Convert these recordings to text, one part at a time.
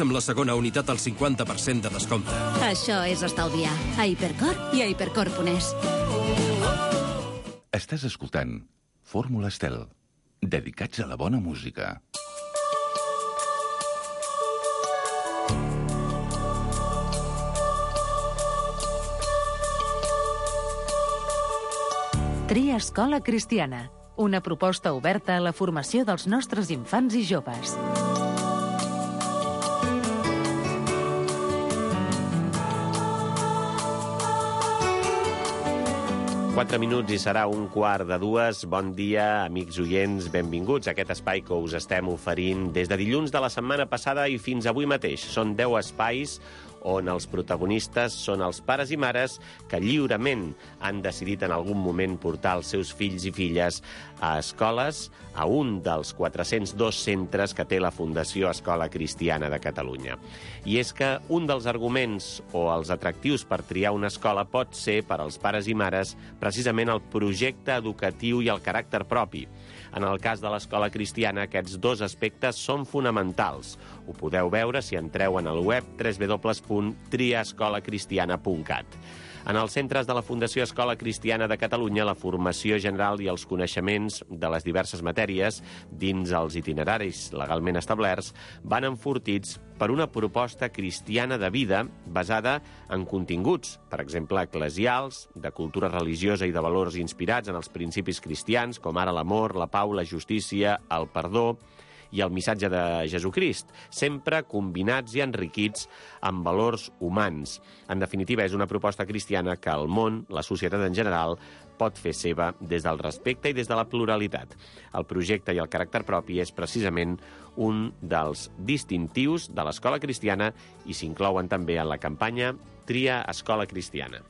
amb la segona unitat al 50% de descompte. Això és estalviar. A Hipercor i a hipercor.es. Estàs escoltant Fórmula Estel, dedicats a la bona música. Tria Escola Cristiana, una proposta oberta a la formació dels nostres infants i joves. Quatre minuts i serà 1:15. Bon dia, amics oients, benvinguts a aquest espai que us estem oferint des de dilluns de la setmana passada i fins avui mateix. Són 10 espais on els protagonistes són els pares i mares que lliurement han decidit en algun moment portar els seus fills i filles a escoles, a un dels 402 centres que té la Fundació Escola Cristiana de Catalunya. I és que un dels arguments o els atractius per triar una escola pot ser, per als pares i mares, precisament el projecte educatiu i el caràcter propi. En el cas de l'Escola Cristiana, aquests dos aspectes són fonamentals. Ho podeu veure si entreu en el web www.triaescolacristiana.cat. En els centres de la Fundació Escola Cristiana de Catalunya, la formació general i els coneixements de les diverses matèries dins els itineraris legalment establerts van enfortits per una proposta cristiana de vida basada en continguts, per exemple, eclesials, de cultura religiosa i de valors inspirats en els principis cristians, com ara l'amor, la pau, la justícia, el perdó i el missatge de Jesucrist, sempre combinats i enriquits amb valors humans. En definitiva, és una proposta cristiana que el món, la societat en general, pot fer seva des del respecte i des de la pluralitat. El projecte i el caràcter propi és precisament un dels distintius de l'Escola Cristiana i s'inclouen també en la campanya Tria Escola Cristiana.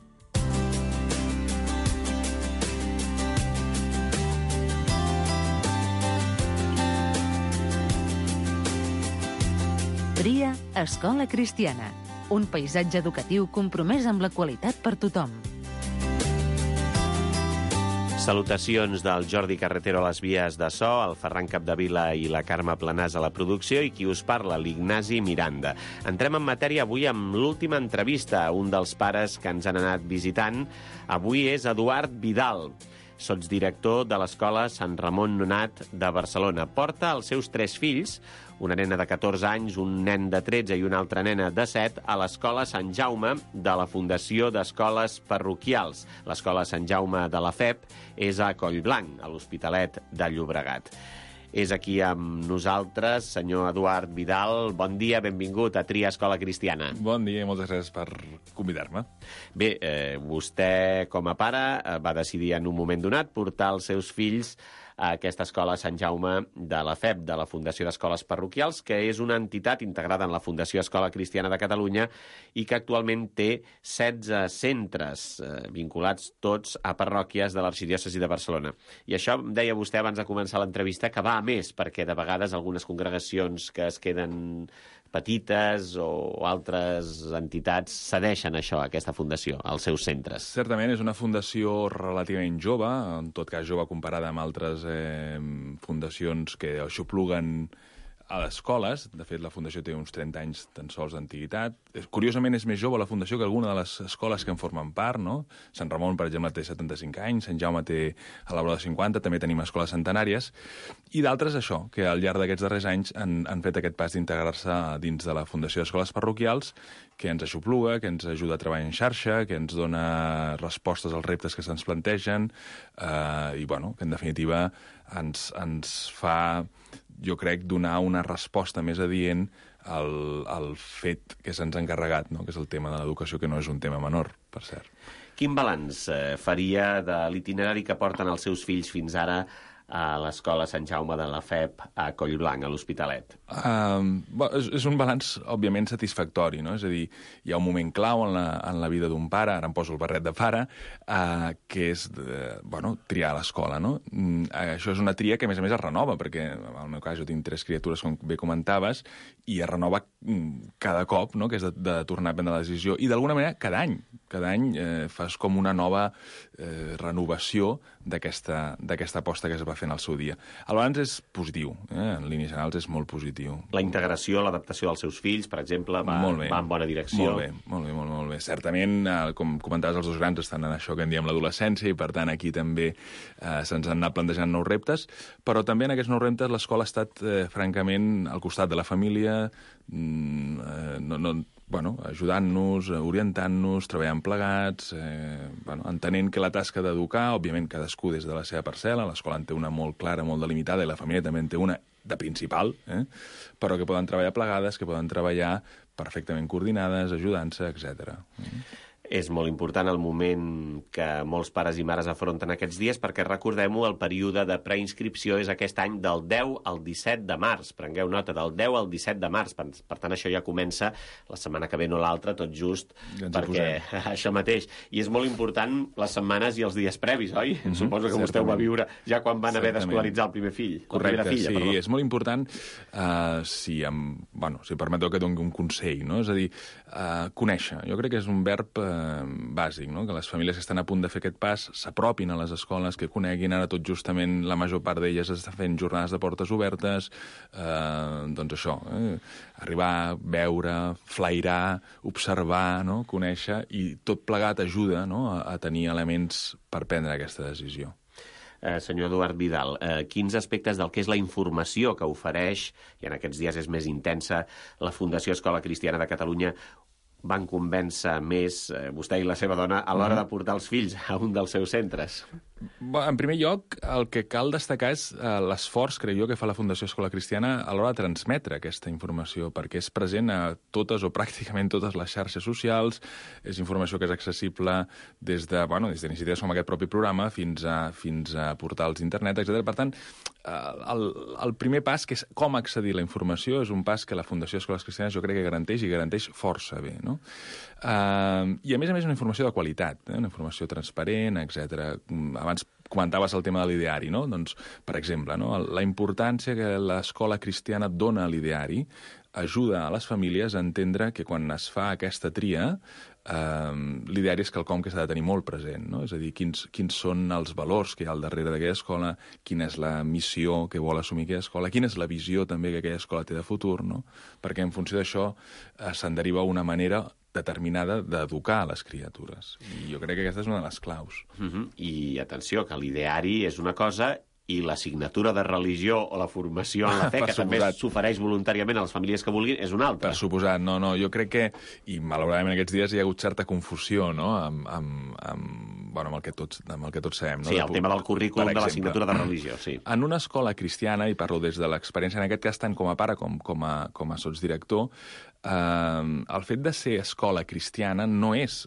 Tria Escola Cristiana, un paisatge educatiu compromès amb la qualitat per tothom. Salutacions del Jordi Carretero a les vies de so, el Ferran Capdevila i la Carme Planàs a la producció i qui us parla, l'Ignasi Miranda. Entrem en matèria avui amb l'última entrevista a un dels pares que ens han anat visitant. Avui és Eduard Vidal, sotsdirector de l'Escola Sant Ramon Nonat de Barcelona. Porta els seus 3 fills, una nena de 14 anys, un nen de 13 i una altra nena de 7, a l'Escola Sant Jaume de la Fundació d'Escoles Parroquials. L'Escola Sant Jaume de la FEP és a Collblanc, a l'Hospitalet de Llobregat. És aquí amb nosaltres, senyor Eduard Vidal. Bon dia, benvingut a Tria Escola Cristiana. Bon dia i moltes gràcies per convidar-me. Bé, vostè, com a pare, va decidir en un moment donat portar els seus fills a aquesta escola Sant Jaume de la FEP, de la Fundació d'Escoles Parroquials, que és una entitat integrada en la Fundació Escola Cristiana de Catalunya i que actualment té 16 centres vinculats tots a parròquies de l'Arxidiòcesi de Barcelona. I això, deia vostè abans de començar l'entrevista, que va a més, perquè de vegades algunes congregacions que es queden petites o altres entitats cedeixen això, aquesta fundació, als seus centres. Certament és una fundació relativament jove, en tot cas jove comparada amb altres fundacions que aixopluguen a les escoles. De fet, la Fundació té uns 30 anys tan sols d'antiguitat. Curiosament, és més jove la Fundació que alguna de les escoles que en formen part, no? Sant Ramon, per exemple, té 75 anys, Sant Jaume té a la vora de 50, també tenim escoles centenàries, i d'altres, això, que al llarg d'aquests darrers anys han fet aquest pas d'integrar-se dins de la Fundació d'Escoles Parroquials, que ens aixopluga, que ens ajuda a treballar en xarxa, que ens dona respostes als reptes que se'ns plantegen, i, bueno, que en definitiva ens fa, jo crec, donar una resposta més adient al fet que se'ns ha encarregat, no? Que és el tema de l'educació, que no és un tema menor, per cert. Quin balanç faria de l'itinerari que porten els seus fills fins ara a l'Escola Sant Jaume de la FEP a Collblanc, a l'Hospitalet? És un balanç, òbviament, satisfactori, no? És a dir, hi ha un moment clau en la vida d'un pare, ara em poso el barret de pare, que és, triar l'escola, no? Això és una tria que, a més es renova, perquè, en el meu cas, jo tinc 3 criatures, com bé comentaves, i es renova cada cop, no?, que és de tornar a prendre la decisió, i d'alguna manera cada any fas com una nova renovació d'aquesta aposta que es va va fent el seu dia. El balanç és positiu, en línies generals és molt positiu. La integració, l'adaptació dels seus fills, per exemple, va en bona direcció. Molt bé. Certament, com comentaves, els dos grans estan en això que en diem l'adolescència i, per tant, aquí també se'ns han anat plantejant nous reptes, però també en aquests nous reptes l'escola ha estat, francament, al costat de la família, ajudant-nos, orientant-nos, treballant plegats, entenent que la tasca d'educar, òbviament cadascú des de la seva parcel·la, l'escola en té una molt clara, molt delimitada, i la família també en té una de principal, però que poden treballar plegades, que poden treballar perfectament coordinades, ajudant-se, etc. És molt important el moment que molts pares i mares afronten aquests dies, perquè recordem-ho, el període de preinscripció és aquest any del 10 al 17 de març. Prengueu nota, del 10 al 17 de març. Per tant, això ja comença la setmana que ve, no l'altra, tot just, perquè això mateix. I és molt important les setmanes i els dies previs, oi? Suposo que vostè ho va viure ja quan van haver d'escolaritzar el primer fill. Correcte, sí, és molt important, si permeteu que doni un consell, no? És a dir, conèixer. Jo crec que és un verb bàsic, no? Que les famílies que estan a punt de fer aquest pas s'apropin a les escoles, que coneguin. Ara tot justament la major part d'elles està fent jornades de portes obertes, doncs això, arribar, veure, flairar, observar, no? Conèixer, i tot plegat ajuda, no? a tenir elements per prendre aquesta decisió. Senyor Eduard Vidal, quins aspectes del que és la informació que ofereix, i en aquests dies és més intensa, la Fundació Escola Cristiana de Catalunya, van convèncer més vostè i la seva dona a l'hora de portar els fills a un dels seus centres? En primer lloc, el que cal destacar és l'esforç, crec jo, que fa la Fundació Escola Cristiana a l'hora de transmetre aquesta informació, perquè és present a totes o pràcticament totes les xarxes socials, és informació que és accessible des d'iniciatives com aquest propi programa fins a portals d'internet, etc. Per tant, el primer pas, que és com accedir a la informació, és un pas que la Fundació Escoles Cristianes jo crec que garanteix força bé, no? I a més una informació de qualitat, una informació transparent, etc. Abans comentaves el tema de l'ideari, no? Doncs, per exemple, no? La importància que l'escola cristiana dona a l'ideari ajuda a les famílies a entendre que quan es fa aquesta tria, l'ideari és quelcom que s'ha de tenir molt present, no? És a dir, quins són els valors que hi ha al darrere d'aquella escola, quina és la missió que vol assumir aquella escola, quina és la visió també que aquella escola té de futur, no? Perquè en funció d'això se'n deriva una manera determinada d'educar les criatures. I jo crec que aquesta és una de les claus. I atenció, que l'ideari és una cosa i l'assignatura de religió o la formació en la fe, que també s'ofereix voluntàriament a les famílies que vulguin, és una altra. Per suposat, no, jo crec que, i malauradament aquests dies hi ha hagut certa confusió, no?, amb el que tots sabem. No? Sí, el tema del currículum de l'assignatura de religió, sí. En una escola cristiana, i parlo des de l'experiència en aquest cas tant com a pare com a sotsdirector, el fet de ser escola cristiana no és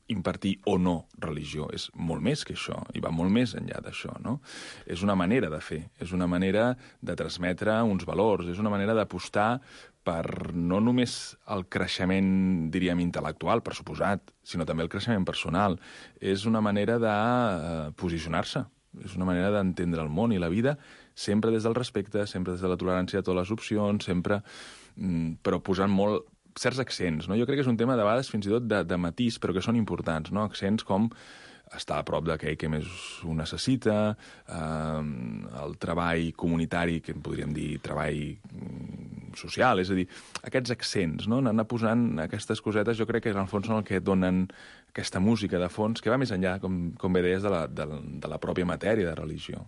impartir o no religió, és molt més que això, i va molt més enllà d'això, no? És una manera de fer, és una manera de transmetre uns valors, és una manera d'apostar per no només el creixement, diríem, intel·lectual, per suposat, sinó també el creixement personal. És una manera de posicionar-se, és una manera d'entendre el món i la vida, sempre des del respecte, sempre des de la tolerància a totes les opcions, sempre, però posant molt certs accents, no? Jo crec que és un tema, de vegades, fins i tot de matís, però que són importants, no? Accents com estar a prop d'aquell que més ho necessita, el treball comunitari, que en podríem dir treball social, és a dir, aquests accents, no? Anar posant aquestes cosetes, jo crec que en el fons són el que donen aquesta música de fons, que va més enllà, com bé deies, de la pròpia matèria de religió.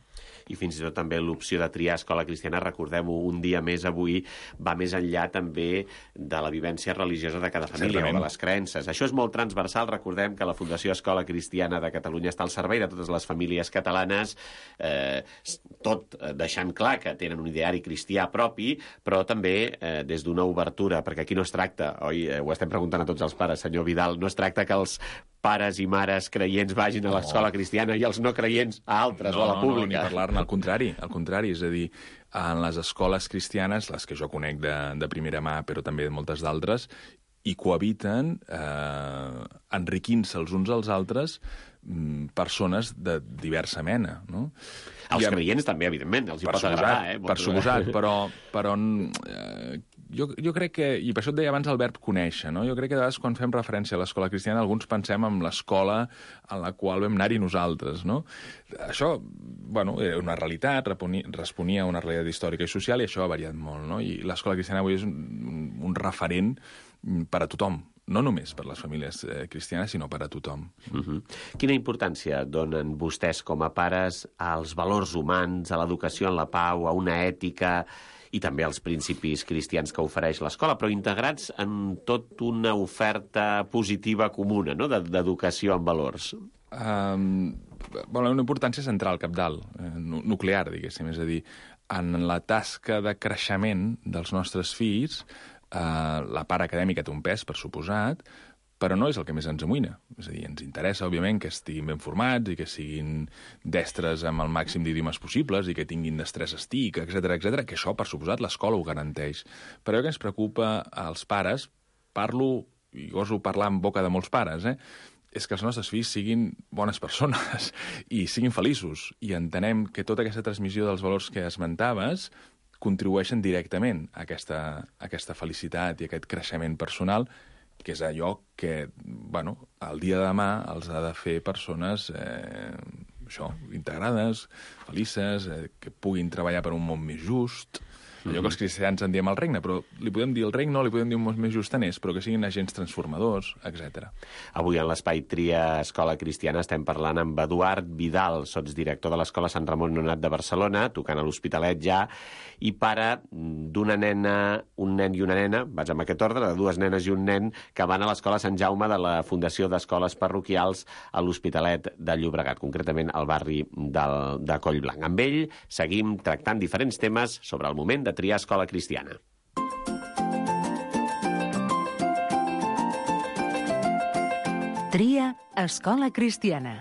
I fins i tot també l'opció de triar escola cristiana, recordem-ho, un dia més avui, va més enllà també de la vivència religiosa de cada família o de les creences. Això és molt transversal, recordem que la Fundació Escola Cristiana de Catalunya està al servei de totes les famílies catalanes, tot deixant clar que tenen un ideari cristià propi, però també des d'una obertura, perquè aquí no es tracta, oi, ho estem preguntant a tots els pares, senyor Vidal, no es tracta que els pares i mares creients vagin a l'escola cristiana i els no creients a altres o a la pública. No, ni parlar-ne, al contrari, és a dir, en les escoles cristianes, les que jo conec de primera mà, però també de moltes d'altres, hi cohabiten, enriquint-se els uns als altres, persones de diversa mena, no? Els creients també, evidentment, els hi pot agradar, Per suposat, però Jo crec que, i per això et deia abans el verb conèixer, no? Jo crec que de vegades quan fem referència a l'escola cristiana alguns pensem en l'escola en la qual vam anar-hi nosaltres, no? Això, bueno, era una realitat, responia a una realitat històrica i social i això ha variat molt, no? I l'escola cristiana avui és un referent per a tothom, no només per les famílies cristianes, sinó per a tothom. Quina importància donen vostès com a pares als valors humans, a l'educació en la pau, a una ètica i també als principis cristians que ofereix l'escola, però integrats en tot una oferta positiva comuna, no?, d'educació en valors? Una importància central, cabdal, nuclear, diguéssim, és a dir, en la tasca de creixement dels nostres fills, la part acadèmica té un pes, per suposat, però no és el que més ens amoïna. És a dir, ens interessa, òbviament, que estiguin ben formats i que siguin destres amb el màxim d'idiomes possibles i que tinguin destresa TIC, etc, que això, per suposat, l'escola ho garanteix. Però el que ens preocupa als pares, parlo, i goso parlar en boca de molts pares, és que els nostres fills siguin bones persones i siguin feliços. I entenem que tota aquesta transmissió dels valors que esmentaves contribueixen directament a aquesta felicitat i a aquest creixement personal, que és allò que, bueno, el dia de demà els ha de fer persones integrades, felices, que puguin treballar per un món més just. Allò que els cristians en diem el regne, però li podem dir el regne o li podem dir un món més justaners, però que siguin agents transformadors, etc. Avui en l'Espai Tria Escola Cristiana estem parlant amb Eduard Vidal, sotsdirector de l'Escola Sant Ramon Nonat de Barcelona, tocant a l'Hospitalet ja, i pare d'una nena, un nen i una nena, vaig amb aquest ordre, de dues nenes i un nen, que van a l'Escola Sant Jaume de la Fundació d'Escoles Parroquials a l'Hospitalet de Llobregat, concretament al barri de Collblanc. Amb ell seguim tractant diferents temes sobre el moment de triar escola cristiana. Tria escola cristiana.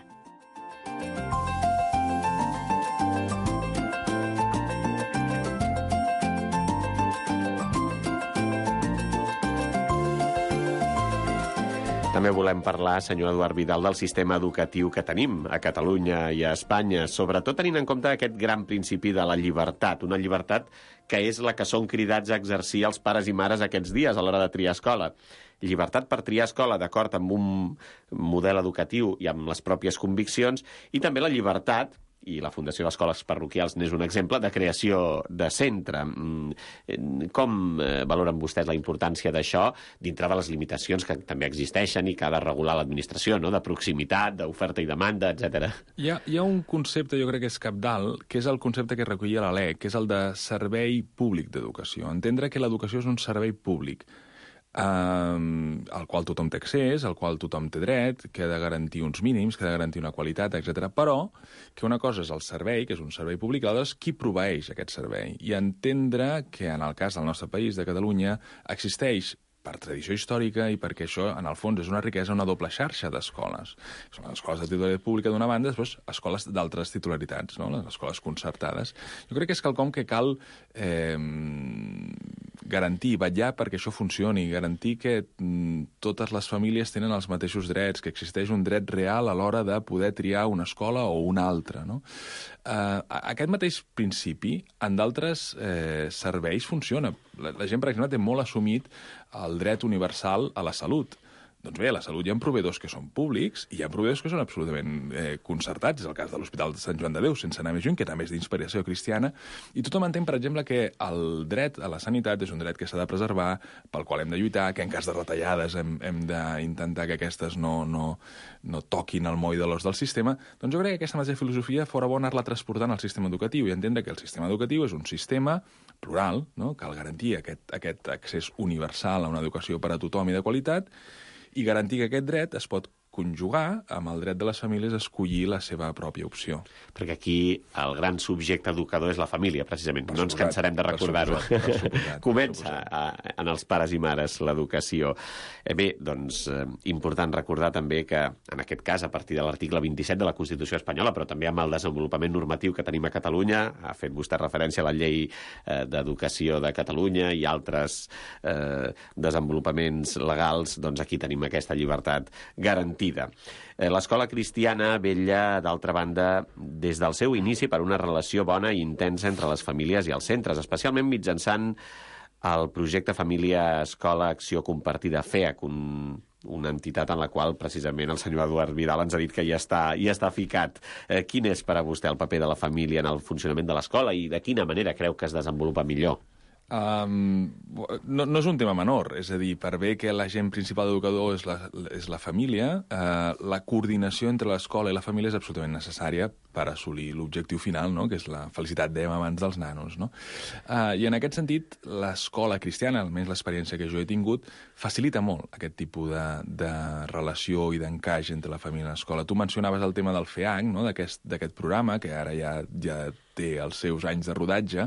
També volem parlar, senyor Eduard Vidal, del sistema educatiu que tenim a Catalunya i a Espanya, sobretot tenint en compte aquest gran principi de la llibertat, una llibertat que és la que són cridats a exercir els pares i mares aquests dies a l'hora de triar escola. Llibertat per triar escola d'acord amb un model educatiu i amb les pròpies conviccions, i també la llibertat, i la Fundació d'Escoles Parroquials n'és un exemple, de creació de centre. Com valoren vostès la importància d'això dintre de les limitacions que també existeixen i que ha de regular l'administració, no?, de proximitat, d'oferta i demanda, etc. Hi ha un concepte, jo crec que és cabdal, que és el concepte que recollia la LEC, que és el de servei públic d'educació. Entendre que l'educació és un servei públic al qual tothom té accés, al qual tothom té dret, que ha de garantir uns mínims, que ha de garantir una qualitat, etc. Però que una cosa és el servei, que és un servei públic, l'altra és qui proveeix aquest servei. I entendre que en el cas del nostre país, de Catalunya, existeix per tradició històrica i perquè això, en el fons, és una riquesa, una doble xarxa d'escoles. Són escoles de titularitat pública d'una banda, després escoles d'altres titularitats, no?, les escoles concertades. Jo crec que és quelcom que cal garantir, vetllar perquè això funcioni, garantir que totes les famílies tenen els mateixos drets, que existeix un dret real a l'hora de poder triar una escola o una altra, no? Aquest mateix principi en d'altres serveis funciona. La gent, per exemple, té molt assumit el dret universal a la salut. Doncs bé, a la salut hi ha proveïdors que són públics i hi ha proveïdors que són absolutament concertats. És el cas de l'Hospital de Sant Joan de Déu, sense anar més lluny, que també és d'inspiració cristiana. I tothom entén, per exemple, que el dret a la sanitat és un dret que s'ha de preservar, pel qual hem de lluitar, que en cas de retallades hem d'intentar que aquestes no toquin el moll de l'os del sistema. Doncs jo crec que aquesta mateixa filosofia fora bo anar-la transportant al sistema educatiu i entendre que el sistema educatiu és un sistema plural, no?, cal garantir aquest accés universal a una educació per a tothom i de qualitat, i garantir que aquest dret es pot conjugar amb el dret de les famílies a escollir la seva pròpia opció. Perquè aquí el gran subjecte educador és la família, precisament. No ens cansarem de recordar-ho. Comença en els pares i mares l'educació. Bé, doncs, important recordar també que, en aquest cas, a partir de l'article 27 de la Constitució espanyola, però també amb el desenvolupament normatiu que tenim a Catalunya, ha fet vostè referència a la Llei d'Educació de Catalunya i altres desenvolupaments legals, doncs aquí tenim aquesta llibertat garantida. L'escola cristiana vetlla, d'altra banda, des del seu inici per una relació bona i intensa entre les famílies i els centres, especialment mitjançant el projecte Família Escola Acció Compartida, FEAC, una entitat en la qual precisament el senyor Eduard Vidal ens ha dit que ja està ficat. Quin és per a vostè el paper de la família en el funcionament de l'escola i de quina manera creu que es desenvolupa millor? No és un tema menor, és a dir, per bé que l'agent principal educador és la família, la coordinació entre l'escola i la família és absolutament necessària per assolir l'objectiu final, no?, que és la felicitat, dèiem abans, dels nanos, no? I en aquest sentit, l'escola cristiana, almenys l'experiència que jo he tingut, facilita molt aquest tipus de relació i d'encaix entre la família i l'escola. Tu mencionaves el tema del FEAC, no?, d'aquest programa, que ara ja té els seus anys de rodatge,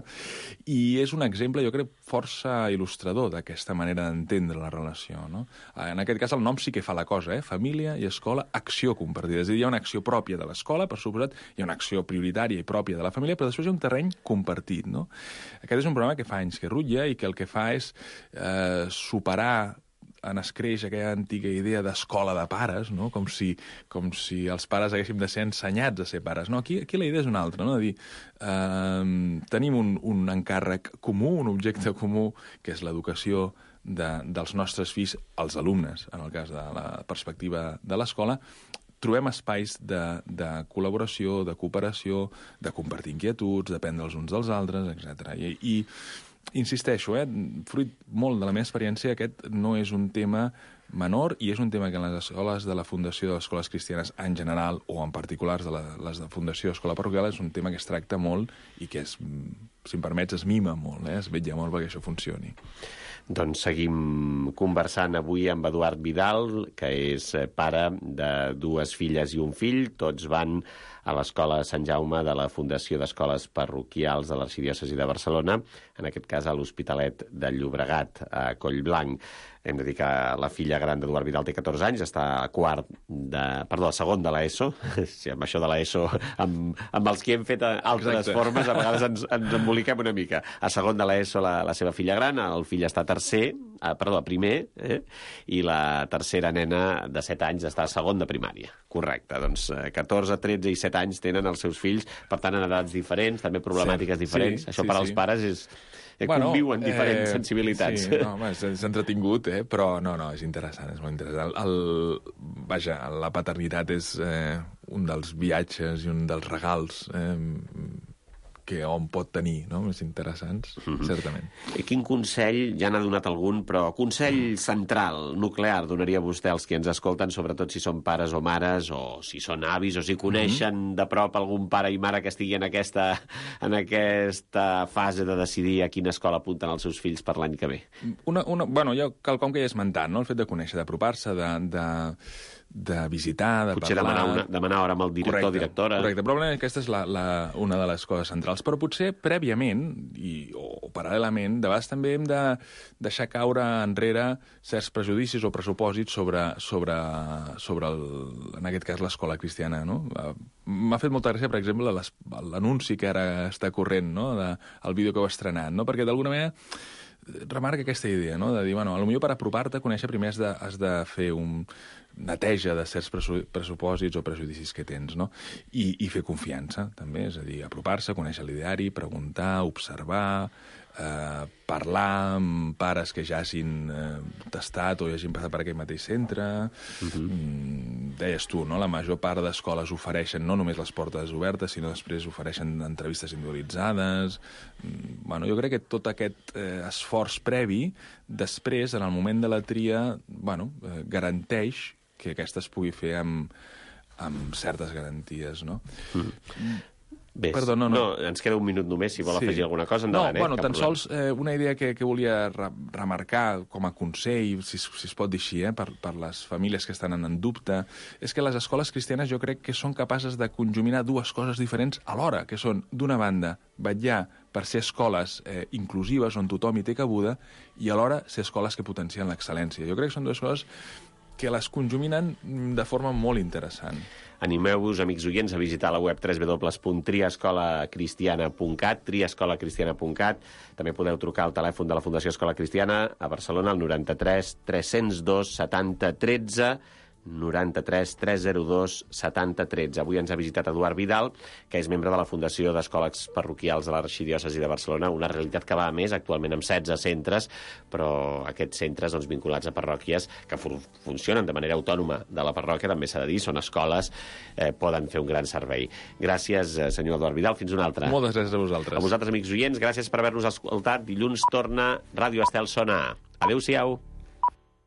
i és un exemple, jo crec, força il·lustrador d'aquesta manera d'entendre la relació, no? En aquest cas, el nom sí que fa la cosa, família i escola, acció compartida. És a dir, hi ha una acció pròpia de l'escola, per suposat, hi ha una acció prioritària i pròpia de la família, però després hi ha un terreny compartit, no? Aquest és un programa que fa anys que rutlla i que el que fa és superar en escreix aquella antiga idea d'escola de pares, no? Com si els pares haguéssim de ser ensenyats a ser pares. No, aquí la idea és una altra, no? De dir, tenim un encàrrec comú, un objecte comú, que és l'educació dels nostres fills, els alumnes, en el cas de la perspectiva de l'escola. Trobem espais de col·laboració, de cooperació, de compartir inquietuds, d'aprendre els uns dels altres, etc. I insisteixo, fruit molt de la meva experiència, aquest no és un tema menor i és un tema que en les escoles de la Fundació de les Escoles Cristianes en general o en particulars de les de Fundació Escola Parroquial és un tema que es tracta molt i que, si em permets, es mima molt, es vetlla molt perquè això funcioni. Doncs seguim conversant avui amb Eduard Vidal, que és pare de 2 filles i un fill. Tots van a l'Escola Sant Jaume de la Fundació d'Escoles Parroquials de l'Arxidiòcesi de Barcelona, en aquest cas a l'Hospitalet de Llobregat, a Collblanc. Hem de dir que la filla gran d'Eduard Vidal té 14 anys, està a segon de l'ESO. Sí, amb això de l'ESO, amb els que hem fet altres formes, a vegades ens emboliquem una mica. A segon de l'ESO la seva filla gran, el fill està a primer, i la tercera nena de 7 anys està a segon de primària. Correcte, doncs 14, 13 i 7 anys tenen els seus fills, per tant en edats diferents, també problemàtiques diferents. Això per als pares és... conviuen diferents sensibilitats. Sí, és entretingut, però no, és interessant, és molt interessant. Vaja, la paternitat és un dels viatges i un dels regals que hom pot tenir, no?, més interessants, certament. I quin consell, ja n'ha donat algun, però consell central, nuclear, donaria vostè als que ens escolten, sobretot si són pares o mares, o si són avis, o si coneixen de prop algun pare i mare que estigui en aquesta fase de decidir a quina escola apunten els seus fills per l'any que ve? Jo quelcom que ja he esmentat, no?, el fet de conèixer, d'apropar-se, de visitar, de potser parlar... demanar hora amb el director o directora. Correcte, probablement aquesta és una de les coses centrals. Però potser prèviament, o paral·lelament, de vegades també hem de deixar caure enrere certs prejudicis o pressupòsits sobre en aquest cas, l'escola cristiana, no? M'ha fet molta gràcia, per exemple, l'anunci que ara està corrent, no?, el vídeo que heu estrenat, no?, perquè d'alguna manera remarca aquesta idea, no?, de dir, potser per apropar-te a conèixer primer has de fer un neteja de certs pressupòsits o prejudicis que tens, no? I fer confiança, també, és a dir, apropar-se, conèixer l'ideari, preguntar, observar, parlar amb pares que ja hagin tastat o ja hagin passat per aquell mateix centre. Deies tu, no?, la major part d'escoles ofereixen no només les portes obertes, sinó després ofereixen entrevistes individualitzades. Jo crec que tot aquest esforç previ, després, en el moment de la tria, garanteix que aquesta es pugui fer amb certes garanties, no? Bé, perdó, no. Ens queda un minut només, si vol afegir alguna cosa, endavant. Tan sols una idea que volia remarcar com a consell, si es pot dir així, per les famílies que estan en dubte, és que les escoles cristianes jo crec que són capaces de conjuminar 2 coses diferents alhora, que són, d'una banda, vetllar per ser escoles inclusives on tothom hi té cabuda i alhora ser escoles que potencien l'excel·lència. Jo crec que són 2 coses que les conjuminen de forma molt interessant. Animeu-vos, amics oients, a visitar la web www.triescolacristiana.cat, triescolacristiana.cat. També podeu trucar al telèfon de la Fundació Escola Cristiana a Barcelona, al 93 302 70 13, 93 302 70 13. Avui ens ha visitat Eduard Vidal, que és membre de la Fundació d'Escoles Parroquials de l'Arxidiòcesi de Barcelona, una realitat que va a més, actualment amb 16 centres, però aquests centres vinculats a parròquies que funcionen de manera autònoma de la parròquia, també s'ha de dir, són escoles, poden fer un gran servei. Gràcies, senyor Eduard Vidal, fins una altra. Moltes gràcies a vosaltres. A vosaltres, amics oients, gràcies per haver-nos escoltat. Dilluns torna Ràdio Estel Sona. Adéu-siau.